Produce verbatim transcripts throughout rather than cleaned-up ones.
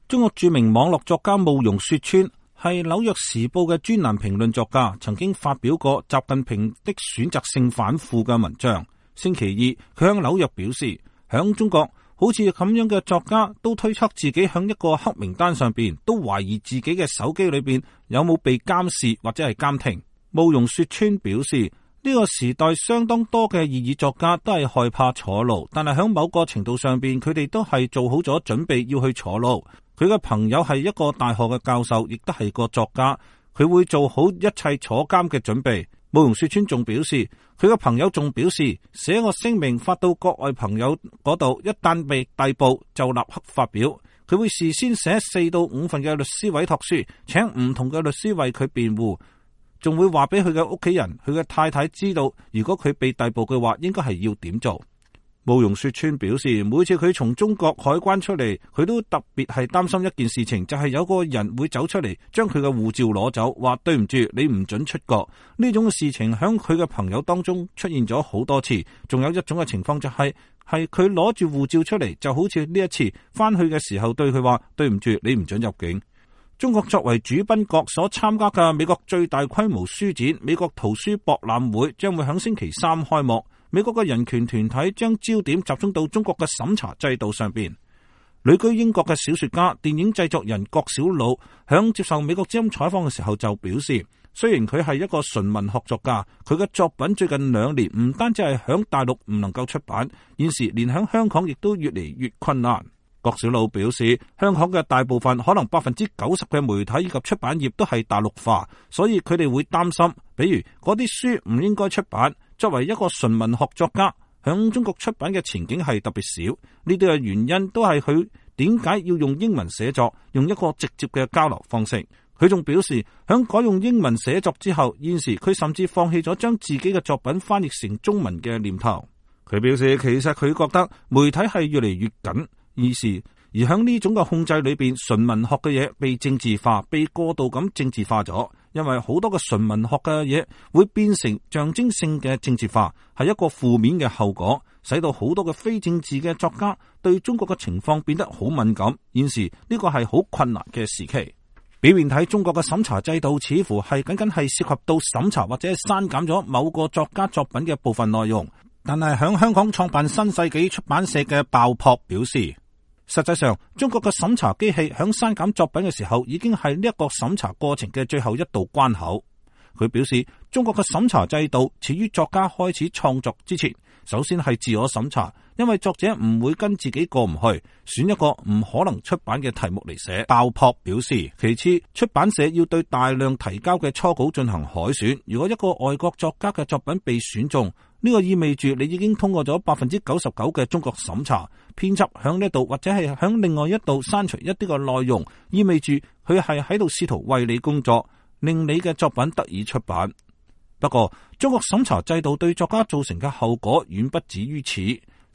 中國著名網絡作家慕容雪村係紐約時報嘅專欄評論作家，曾經發表過習近平的選擇性反腐嘅文章。星期二，佢向紐約表示，響中國好似咁樣嘅作家都推測自己響一個黑名單上邊，都懷疑自己嘅手機裏邊有冇被監視或者係監聽。慕容雪村表示，呢個時代相當多嘅異議作家都係害怕坐牢，但係響某個程度上邊，佢哋都係做好咗準備要去坐牢。佢嘅朋友係一個大學嘅教授，亦都係個作家，佢會做好一切坐監嘅準備。慕容雪村仲表示，佢嘅朋友仲表示，寫個聲明發到國外朋友嗰度，一旦被逮捕就立刻發表。佢會事先寫四到五份嘅律師委託書，請唔同嘅律師為佢辯護，仲會話俾佢嘅屋企人、佢嘅太太知道，如果佢被逮捕嘅話，應該係要點做。慕容雪村表示，每次佢從中國海關出嚟，佢都特別係擔心一件事情，就係、是、有個人會走出嚟將佢嘅護照攞走，話對唔住，你唔准出國。呢種嘅事情響佢嘅朋友當中出現咗好多次。仲有一種嘅情況就係係佢攞住護照出嚟，就好似呢一次翻去嘅時候對佢話對唔住，你唔准入境。中國作為主賓國所參加嘅美國最大規模書展——美國圖書博覽會將會響星期三開幕。美國嘅人權團體將焦點集中到中國嘅審查制度上邊。旅居英國嘅小說家、電影製作人郭小魯響接受美國之音採訪嘅時候就表示，雖然佢係一個純文學作家，佢嘅作品最近兩年唔單止係響大陸唔能夠出版，現時連響香港亦都越嚟越困難。郭小魯表示，香港嘅大部分可能百分之九十嘅媒體以及出版業都係大陸化，所以佢哋會擔心，比如嗰啲書唔應該出版。作為一個純文學作家，響中國出版嘅前景係特別少。呢啲嘅原因都係佢點解要用英文寫作，用一個直接嘅交流方式。佢仲表示，響改用英文寫作之後，現時佢甚至放棄咗將自己嘅作品翻譯成中文嘅念頭。佢表示，其實佢覺得媒體係越嚟越緊，於是而響呢種嘅控制裏邊，純文學嘅嘢被政治化，被過度咁政治化咗。因為好多嘅純文學嘅嘢會變成象徵性嘅政治化，係一個負面嘅後果，使到好多嘅非政治嘅作家對中國嘅情況變得好敏感。現時呢個係好困難嘅時期。表面睇，中國嘅審查制度似乎係僅僅係涉及到審查或者係刪減咗某個作家作品嘅部分內容，但係響香港創辦新世紀出版社嘅爆破表示，實際上，中國嘅審查機器響刪減作品嘅時候，已經係呢一個審查過程嘅最後一道關口。佢表示，中國嘅審查制度始於作家開始創作之前，首先係自我審查，因為作者唔會跟自己過唔去，選一個唔可能出版嘅題目嚟寫。爆破表示，其次，出版社要對大量提交嘅初稿進行海選。如果一個外國作家嘅作品被選中，呢個意味住你已經通過咗百分之九十九嘅中國審查。編輯響呢度或者係響另外一度刪除一啲嘅內容，意味住佢係喺度試圖為你工作，令你嘅作品得以出版。不過，中國審查制度對作家造成嘅後果遠不止於此。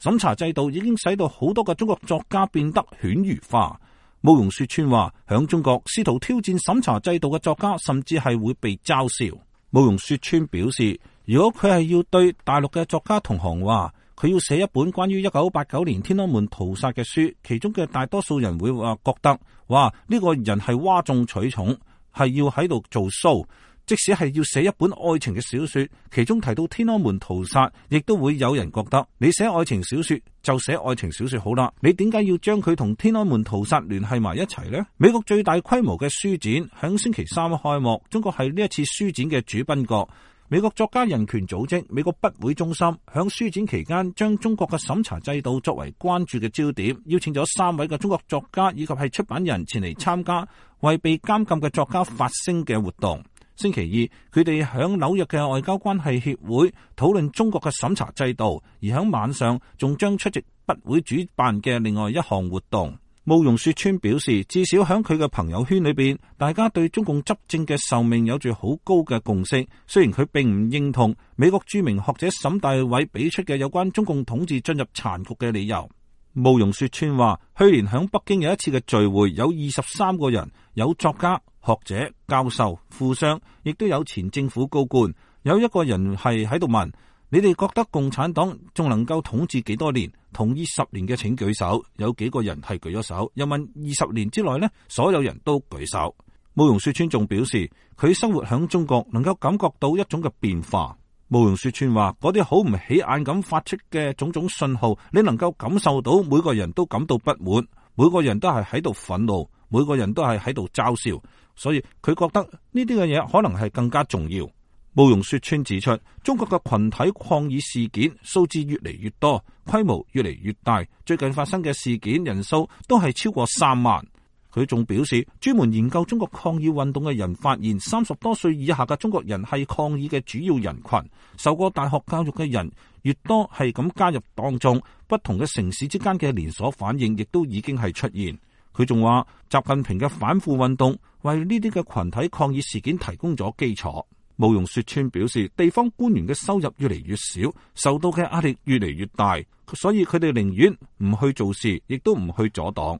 審查制度已經使到好多嘅中國作家變得犬儒化。慕容雪村話，響中國試圖挑戰審查制度嘅作家，甚至係會被嘲笑。慕容雪村表示，如果佢係要對大陸嘅作家同行話，佢要寫一本關於一九八九年天安門屠殺嘅書，其中嘅大多數人會話覺得，哇，呢個人係嘩眾取寵，係要喺度做 show。即使係要寫一本愛情嘅小說，其中提到天安門屠殺，亦都會有人覺得，你寫愛情小說就寫愛情小說好啦，你點解要將佢同天安門屠殺聯繫埋一齊呢？美國最大規模嘅書展響星期三開幕，中國係呢一次書展嘅主賓國。美國作家人權組織美國筆會中心響書展期間將中國嘅審查制度作為關注嘅焦點，邀請咗三位嘅中國作家以及係出版人前嚟參加為被監禁嘅作家發聲嘅活動。星期二，佢哋響紐約嘅外交關係協會討論中國嘅審查制度，而響晚上仲將出席筆會主辦嘅另外一項活動。慕容雪村表示，至少響佢嘅朋友圈裏邊，大家對中共執政嘅壽命有住好高嘅共識。雖然佢並唔認同美國著名學者沈大偉俾出嘅有關中共統治進入殘局嘅理由。慕容雪村話，去年響北京有一次嘅聚會，有二十三個人，有作家、學者、教授、富商，亦都有前政府高官。有一個人係喺度問，你哋覺得共產黨仲能夠統治幾多年？同意十年嘅請舉手。有幾個人係舉咗手？又問二十年之內呢，所有人都舉手。慕容雪村仲表示，佢生活響中國，能夠感覺到一種嘅變化。慕容雪村話，嗰啲好唔起眼咁發出嘅種種信號，你能夠感受到每個人都感到不滿，每個人都係喺度憤怒，每個人都係喺度嘲笑，所以佢覺得呢啲嘅嘢可能係更加重要。慕容雪村指出，中國嘅群體抗議事件數字越嚟越多，規模越嚟越大，最近發生嘅事件人數都係超過三萬。佢仲表示，專門研究中國抗議運動嘅人發現，三十多歲以下嘅中國人係抗議嘅主要人群，受過大學教育嘅人越多，係咁加入當中。不同嘅城市之間嘅連鎖反應亦都已經係出現。佢仲話，習近平嘅反腐運動為呢啲嘅群體抗議事件提供咗基礎。慕容雪村表示，地方官員嘅收入越嚟越少，受到嘅壓力越嚟越大，所以佢哋寧願唔去做事，亦都唔去阻擋。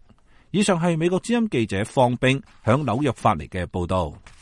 以上係美國之音記者方冰響紐約發嚟嘅報道。